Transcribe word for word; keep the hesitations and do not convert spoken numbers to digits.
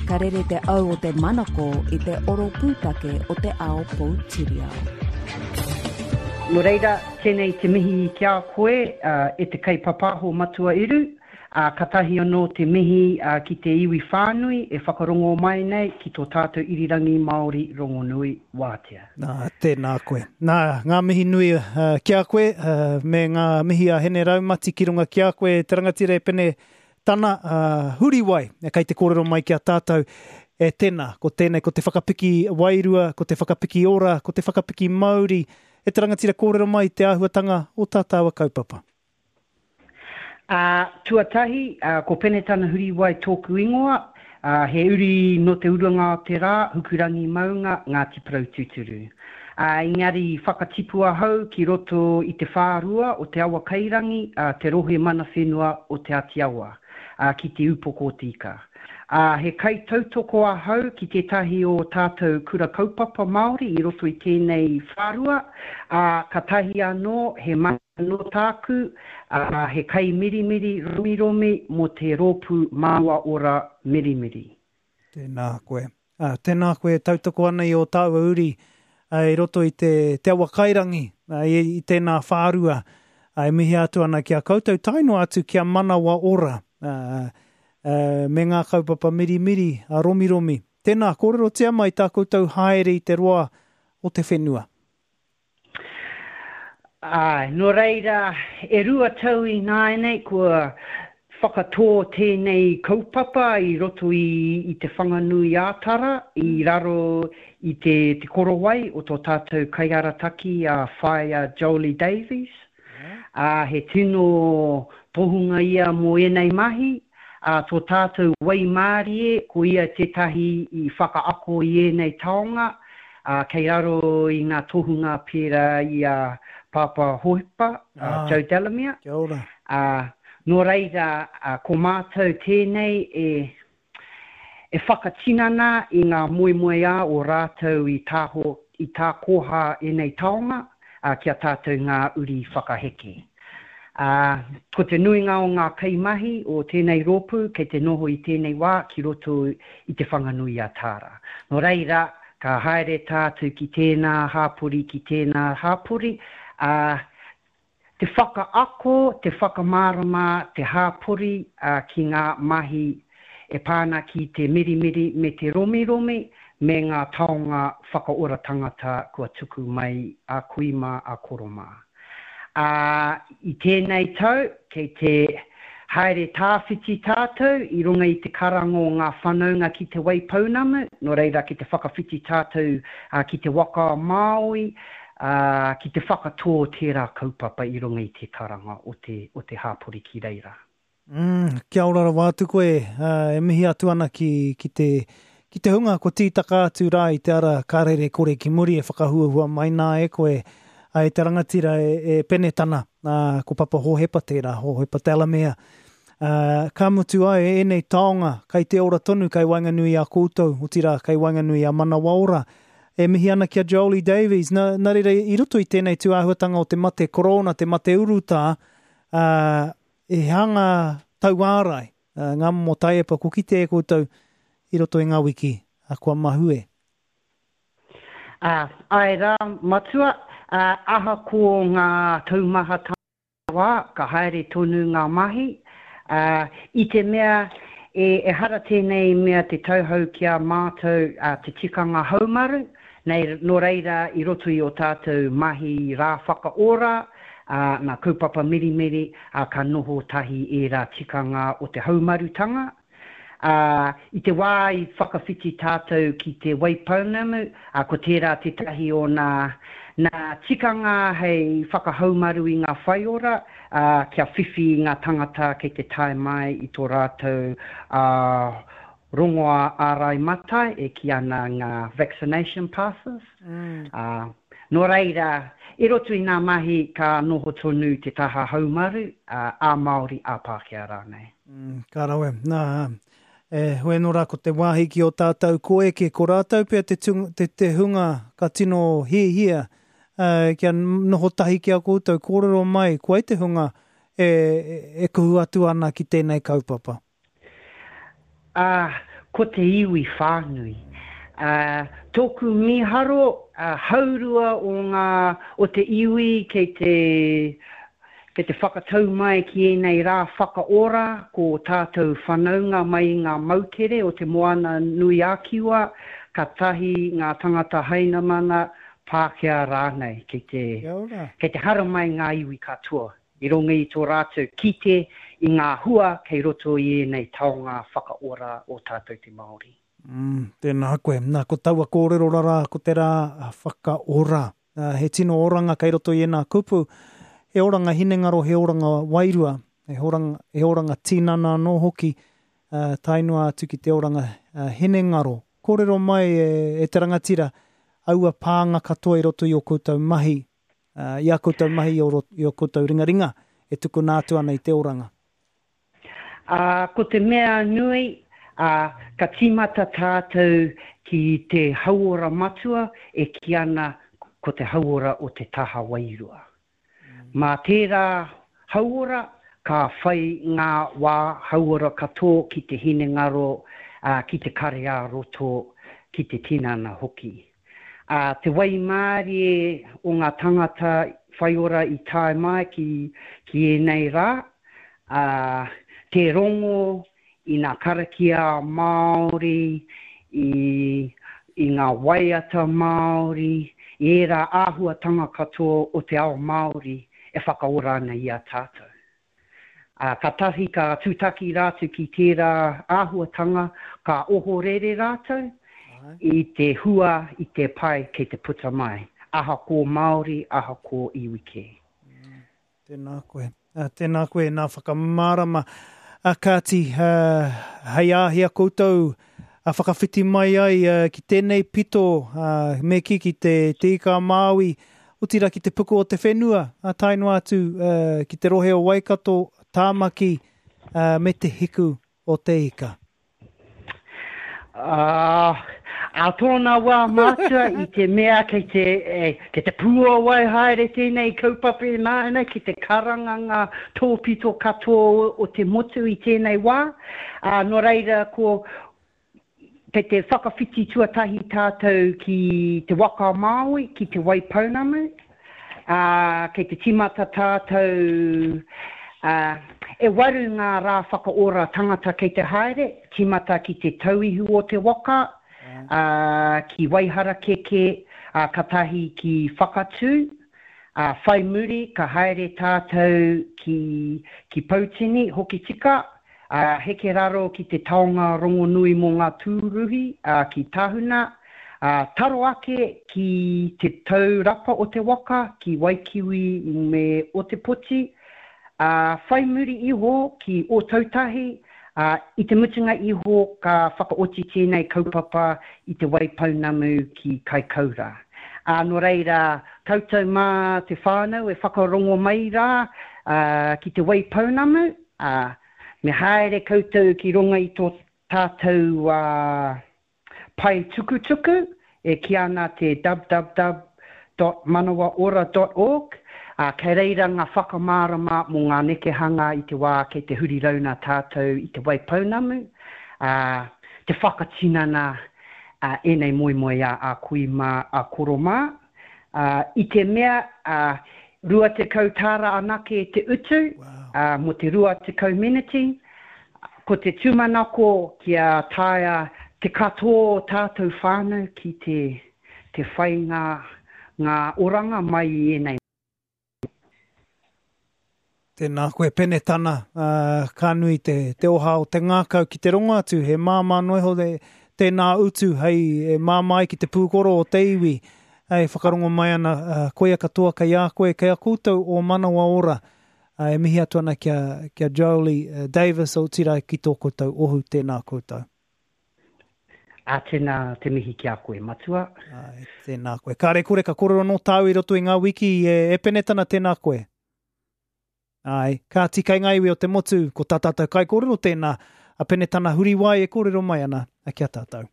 Ka rere te au o te manako i te oro pūtake o te ao poutiriao. Nō reira, tēnei te mihi ki a koe e te kaipapaho Matua Eru, ā, katahi anō te mihi ki te iwi whānui e whakarongo mai nei ki tō tātou irirangi Māori rongonui wātea. Nā, tēnā koe. Nā, ngā mihi nui ki a koe, me ngā mihi a Hene Raumati ki runga ki a koe, te rangatira e Pene Tana, Huriwai, kei te kōrero mai ki a tātou, e tēnā, ko tēnei, ko te whakapiki wairua, ko te whakapiki ora, ko te whakapiki mauri, e te rangatira kōrero mai te āhuatanga o tā tāua kaupapa. Ā, tuatahi, ko Penetana Huriwai tōku ingoa, ā, he uri nō Te Urunga o te Rā, Hukurangi Maunga, Ngāti Porou tūturu. Ā, engari i whakatipu ahau ki roto i te whārua o Te Awakairangi, ā, te rohe mana whenua o Te Āti Awa, ā, ki Te Upoko o Te Ika. Ā, he kaitautoko ahau ki tētahi o tātou kura kaupapa Māori i roto i tēnei whārua, ā, katahi anō he mahi anō tāku, ā, he kaimirimiri romiromi mō te rōpū Māua Ora Mirimiri. Tēnā koe. Ā, tēnā koe e tautoko ana i ō tāua uri i roto i te, te awa kairangi, i, i tēnā whārua, ā, e mihi atu ana ki a koutou, tae noa atu kia manawa ora, ā, ā, me ngā kaupapa mirimiri, a romiromi. Tēnā, kōrerotia mai tā koutou haere i te roa o te whenua. Āe, nō reira, e rua tau ināianei kua whakatō tēnei kaupapa i roto i, i Te Whanganui-ā-Tara, i raro i te, te korowai o tō tātou kaiarataki a Whaea Jolie Davies. Ā, he tino tohunga ia mō ēnei mahi, ā, tō tātou waimārie, ko ia tētahi i whakaako i ēnei taonga, ā, kei raro i ngā tohunga pērā i a Pāpā Hohepa, a Joe Delamere. Kia ora. Ā, nō reira, ko mātou tēnei e, e whakatinana i ngā moemoeā o rātou i tāho, i tākoha ēnei taonga, ā, ki a tātou ngā uri whakaheke. Ā, ko te nuinga o ngā kaimahi o tēnei rōpū kei te noho i tēnei wā ki roto i Te Whanganui-a-Tara. Nō reira, ka haere tātou ki tēnā hāpori, ki tēnā hāpori, ā, te whakaako, te whakamārama te hāpori ki ngā mahi e pā ana ki te mirimiri me te romiromi me ngā taonga whakaora tangata kua tuku mai a kui mā, a koro mā. Ā, i tēnei tau, kei te haere tāwhiti tātou i runga i te karanga o ngā whanaunga ki Te Waipounamu, nō reira ki te whakawhiti tātou ki te waka a Māui, ā, ki te whakatō tērā kaupapa i runga i te karanga o te, o te hāpori ki reira. Mm, kia ora rawa atu koe, ā, e mihi atu ana ki, ki te, ki te hunga kua tītaka atu rā i te ara ka rere kore ki muri e whakahuahua mai nā e koe, ā, e te rangatira e, e Penetana, ā, ko Papa Hohepa tērā, Hohepa Delamere. Ā, ka mutu ai ēnei taonga, kei te ora tonu kei waenganui i a koutou, otirā kei waenganui i a Manawaora. E mihi ana ki a Jolie Davies, nā, nā reira i roto i tēnei tūāhuatanga o te mate korona, te mate urutā, ā, he hanga tauārai, ā, ngā momo taiepa kua kite e koutou i roto i ngā wiki kua mahue. Ā, āe rā, Matua, ā, ahakoa ngā taumahatanga, wā, ka haere tonu ngā mahi, ā, i te mea e, ehara tēnei mea te tauhou ki a mātou, ā, te tikanga haumaru, nei, nō reira i roto i ō tātou mahi rā whakaora, ā, ngā kaupapa mirimiri, ā, ka noho tahi ērā tikanga o te haumarutanga, Ā, i te wā i whakawhiti tātou ki Te Waipounamu, ā, ko tērā tētahi o nā, nā tikanga hei whakahaumaru i ngā whaiora, ā, kia whiwhi ngā tangata kei te tae mai i tō rātou, ā, rongoā ārai matai e kī ana ngā vaccination passes. Ā, nō reira, i roto i ngā mahi ka noho tonu te taha haumaru, ā, ā-Māori, ā-Pākehā rānei. Mm, ka rawe. Nā, e, hoi anō rā ko te wāhi ki ō tātou koeke, ko rātou pea te, tung, te, te hunga ka tino hiahia uh, kia noho tahi ki a koutou, kōrero mai, ko wai te hunga e, e, e kuhu atu ana ki tēnei kaupapa? Ā, ko te iwi whānui. Uh, tōku mīharo, uh, haurua o, ngā, o te iwi kei te, kei te whakatau mai ki ēnei rā whakaora, ko tātou whanaunga mai i ngā moutere o te Moana nui ā-Kiwa, ka tahi ngā tangata hainamana, Pākehā rānei, kei te, kei te haramai ngā iwi katoa i runga i tō rātou kite i ngā hua kei roto i ēnei taonga whakaora o tātou te Māori. Mm, tēnā koe. Nā, ko taua kōrero rarā, ko te rā whakaora. He tino oranga kei roto i ēnā kupu. He oranga hinengaro, he oranga wairua, he oranga, he oranga tinana anō hoki, uh, tae noa atu ki te oranga uh, hinengaro. Kōrero mai e, e te rangatira, aua pānga katoa i roto i o koutou mahi, uh, i a koutou mahi i o, i o koutou ringaringa e tukuna atu ana i te oranga. Uh, ko te mea nui, uh, ka tīmata tātou ki te hauora matua e kī ana ko te hauora o te taha wairua. Mm. Mā tērā hauora, ka whai ngā wā hauora katoa ki te hinengaro, uh, ki te kare ā-roto, ki te tinana hoki. Uh, te waimārie o ngā tangata whaiora i tae mai ki, ki ēnei rā, uh, te rongo i ngā karakia Māori, i, i ngā waiata Māori, i ērā āhuatanga katoa o te ao Māori e whakaora ana i a tātou. Uh, ka tahi ka tūtaki rātou ki tērā āhuatanga, ka ohorere rātou i te hua, i te pai kei te puta mai. Ahakoa Māori, ahakoa iwi kē. Mm, tēnā koe. Uh, tēnā koe, nā whakamārama. Uh, kāti, uh, hei āhea koutou uh, whakawhiti mai ai uh, ki tēnei pito, uh, me kī ki te, te Ika a Māui, otirā ki te puku o te whenua, uh, tae noa atu uh, ki te rohe o Waikato, Tāmaki, uh, me te hiku o te ika. Uh, a tōna wā mātua i te mea kei te, e, kei te pūawai haere tēnei kaupapa ināianei, ki te karanga ngā tōpito katoa o te motu i tēnei wā. Uh, nō reira, ko kei te whakawhiti tuatahi tātou ki te Waka a Māui, ki te Waipounamu. Uh, kei te tīmata tātou, uh, e waru ngā rā whakaora tangata kei te haere, tīmata ki te tauihu o te waka, uh, ki Waiharakeke, uh, katahi ki Whakatū, uh, whai muri ka haere tātou ki, ki Poutini, Hokitika, uh, heke raro ki te taonga rongonui mō ngā tūruhi, uh, ki Tahuna, uh, taro ake ki te taurapa o te waka, ki Waikiwi me Otepoti, uh, whai muri iho ki Ōtautahi, uh, i te mutunga iho ka whakaoti tēnei kaupapa i te Waipounamu ki Kaikoura. Uh, nō reira, koutou mā te whānau e whakarongo mai rā uh, ki te Waipounamu, uh, me haere koutou ki runga i tō tātou uh, pae tukutuku, e kī ana te www dot manawaora dot org, uh, kei reira ngā whakamārama mō ngā nekehanga i te wā kei te huri rauna tātou i te Waipounamu, uh, te whakatinana uh, ēnei moemoeā a kui mā, a koro mā. Uh, i te mea, uh, rua tekau tāra anake te utu, Wow. uh, mō te rua tekau miniti. Ko te tūmanako kia taea te katoa o tātou whānau ki te, te whai ngā, ngā oranga mai i ēnei. Tēnā koe Penetana, uh, ka nui te, te oha o te ngākau ki te rongo atu, he māmā noa iho te, tēnā utu hei e māmā ai ki te pūkoro o te iwi, e whakarongo mai ana, uh, koia katoa kei a koe, kei a koutou o Manawa Ora, uh, e mihi atu ana kia, kia Jolie uh, Davis, otirā ki tō koutou ohu, tēnā koutou. A tēnā te mihi ki a koe, matua. Ai, tēnā koe. Kāre kore ka kōrero nō tāu i roto i ngā wiki e, e Penetana, tēnā koe. Ai, kāti kei ngā iwi o te motu, ko tā tātou kaikōrero tēnā, a Penetana Huriwai e kōrero mai ana, a kia tātou.